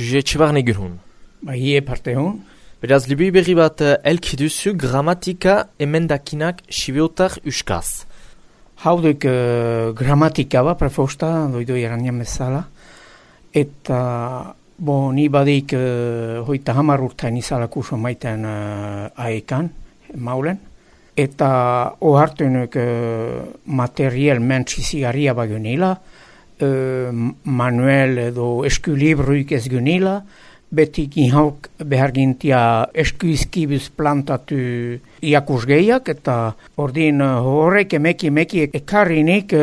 Juge Etxebarne gurhun. Hie parte hon. Beraz, liburu berri bat elki duzu gramatika emendakinak sibeotar uskaz. Hauduk gramatika ba, prefosta, doido eranian bezala. Eta, ni badik hoita 10 urtain izala kurso maiten aekan, maulen. Eta ohartuenuk material mentsi zigarria bagunila, manuel edo eskulibruik ez gunila, betik inhauk behar gintia eskuizkibuz plantatu iakusgeiak, eta ordin horrek emeki ekarrinik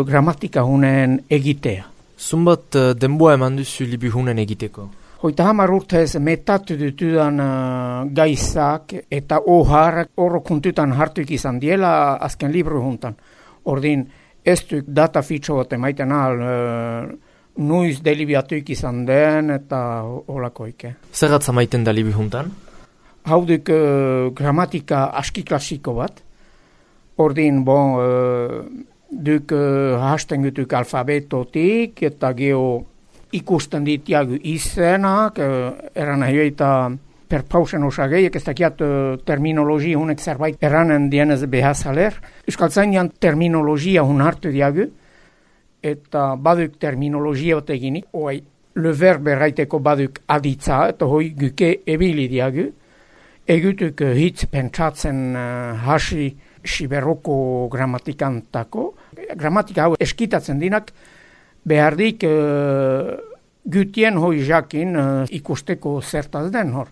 gramatika hunen egitea. Zumbat denboa eman duzu liburu hunen egiteko? Hoita 10 urtez metatu dutudan gaizak eta oharrak horro kuntutan hartuik izan diela azken libru juntan. Ordin ez duk data fitxo bat emaiten nuiz delibiatuik izan den eta holakoik. Zerratza maiten da liburu juntan? Hauduk gramatika aski klasiko bat. Ordin duk hasten gutuk alfabetotik eta geho ikusten ditiagu izenak, eran ahioita per pausen osageiek, ez dakiat terminologia hunek zerbait eranen dienez behazaler. Euskaltzainian terminologia hun hartu diagu, eta baduk terminologia bat eginik, oai, le verbe raiteko baduk aditza, eta hoi guke ebili diagu. Egutuk hitz pentsatzen hasi siberoko gramatikantako. Gramatika hau eskitatzen dinak, behardik gutien hoi jakin ikusteko zertaz den hor.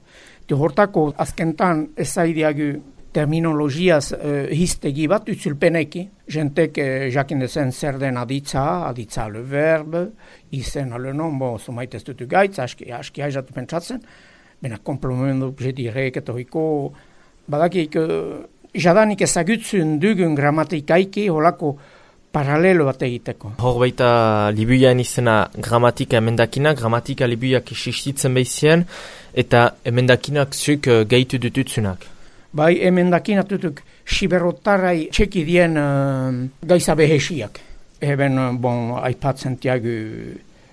Hortako azkentan ezaidiagu terminologiaz hiztegi bat utzulpeneki. Jentek jakin dezen zer den aditza le verbe, izen le nom, zumait ez dutu gaitz, aski haizatu pentsatzen, bena komplementu jedirek eta hoiko badakik jadanik ezagutzen dugun gramatikaiki holako paralelo bat egiteko. Hor baita libuian izena gramatika emendakina, gramatika libuiak existitzen behizien, eta emendakinak zuk gehitu dututzunak. Bai, emendakinak dutuk siberotarrai txeki dien gaiza behesiak. Eben, aipatzen tiagu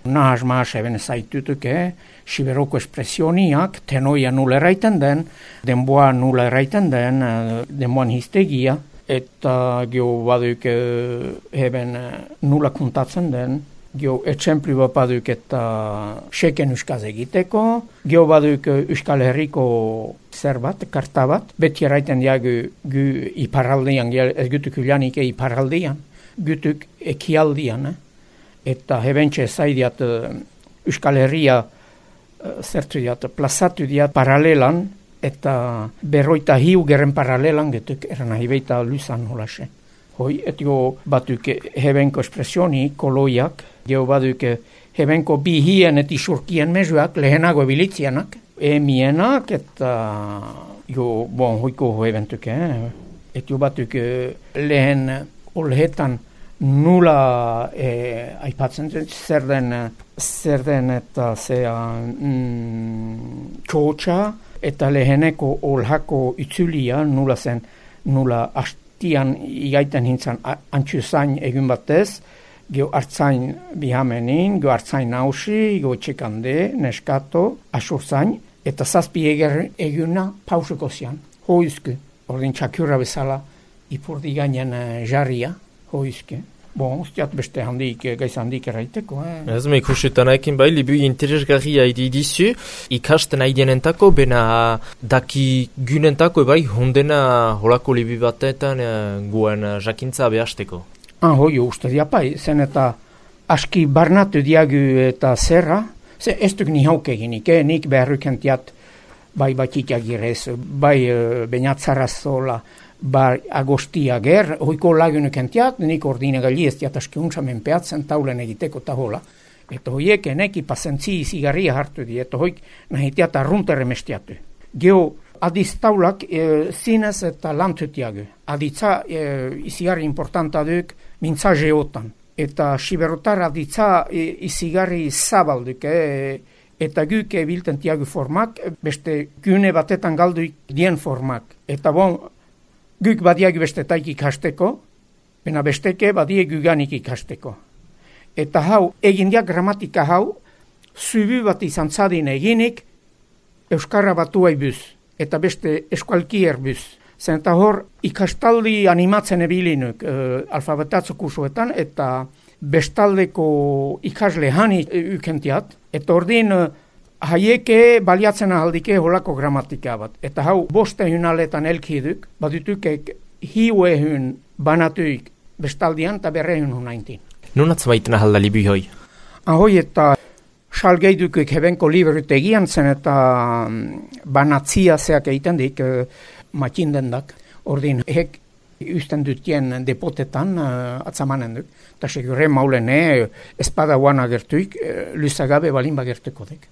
nahaz eben zaitutuk, siberoko espresioniak, tenoia nula erraiten den, denboa nula erraiten den, denboan hiztegia, eta geho baduk eben nula kuntatzen den, geho etxemplu bat baduk eta seken euskaz egiteko, geho baduk Euskal Herriko zer bat, karta bat, beti erraiten diagu gu iparaldian, ez gutuk ulanik iparaldian, gutuk ekialdian, eta hebentxe zaidiat Euskal Herria zertu diat, plazatu diat paralelan, eta 45 geren paralelan getuk eran ahibeita luzan holase. Hoi, etio batuk hebenko espresioni, koloiak, geho batuk hebenko bihien eti surkien mezuak, lehenago ebilitzianak, emienak, eta hoiko hebentuk, etio batuk lehen olhetan nula aipatzen zer den eta zea txotxa, eta leheneko olhako itzulia nula zen, nula hastian igaiten hintzan antxuzain egun batez, geho hartzain bihamenin, geho hartzain nausi, geho txekande, neskato, asurzain, eta zazpi eguna pausuko zian, hoizku, ordin txakurra bezala, ipurdi gainen jarria, hoizku. Ustiat beste gaiz handik erraiteko. Ez me ikusetan ekin bai, libu interesgarria dizu, ikasten aidenentako, bena daki gunentako, bai, hundena holako libu batetan guen jakintza behasteko. Hoi, uste diapai, zen eta aski barnatu diagu eta zerra, ze ez duk nihauk eginik, nik beharrukentiat bai batitia girez, bai beinatzarrazola, bar agostia ger, hoiko lagunek entiat, nik ordine gali ez diat aski untsamen peatzen taulen egiteko eta hola. Eta hoiek eneki pasentzi zigarria hartu di, eta hoik nahitiat arruntere mestiatu. Geho adiz taulak zinez eta lantutiagu. Aditza izigarri importanta duk mintza geotan. Eta siberotar aditza izigarri zabalduk, eta guk bilten tiagu formak, beste gune batetan galduik dien formak. Eta guk badiagu bestetaik ikasteko, bena besteke badiagu ganik ikasteko. Eta hau, egindiak gramatika hau, zubi bat izan zadin eginik, Euskarra Batuai buz, eta beste eskualkier buz. Zen eta hor, ikastaldi animatzen ebilinuk alfabetatzo kursuetan, eta bestaldeko ikasle hani ukentiat, eta ordin haieke baliatzen ahaldike holako gramatika bat. Eta hau, 500 aletan elkiduk, badutukek hiuehun banatuik bestaldian eta 219. Nun atzamaiten ahalda libi hoi? Ahoi eta salgeidukik hebenko librut egian zen eta banatzia zeak egiten dik matxindendak. Ordin hek usten dutien depotetan atzamanen duk. Eta segure maulen espada guan agertuik, luzagabe balin bagertuko dek.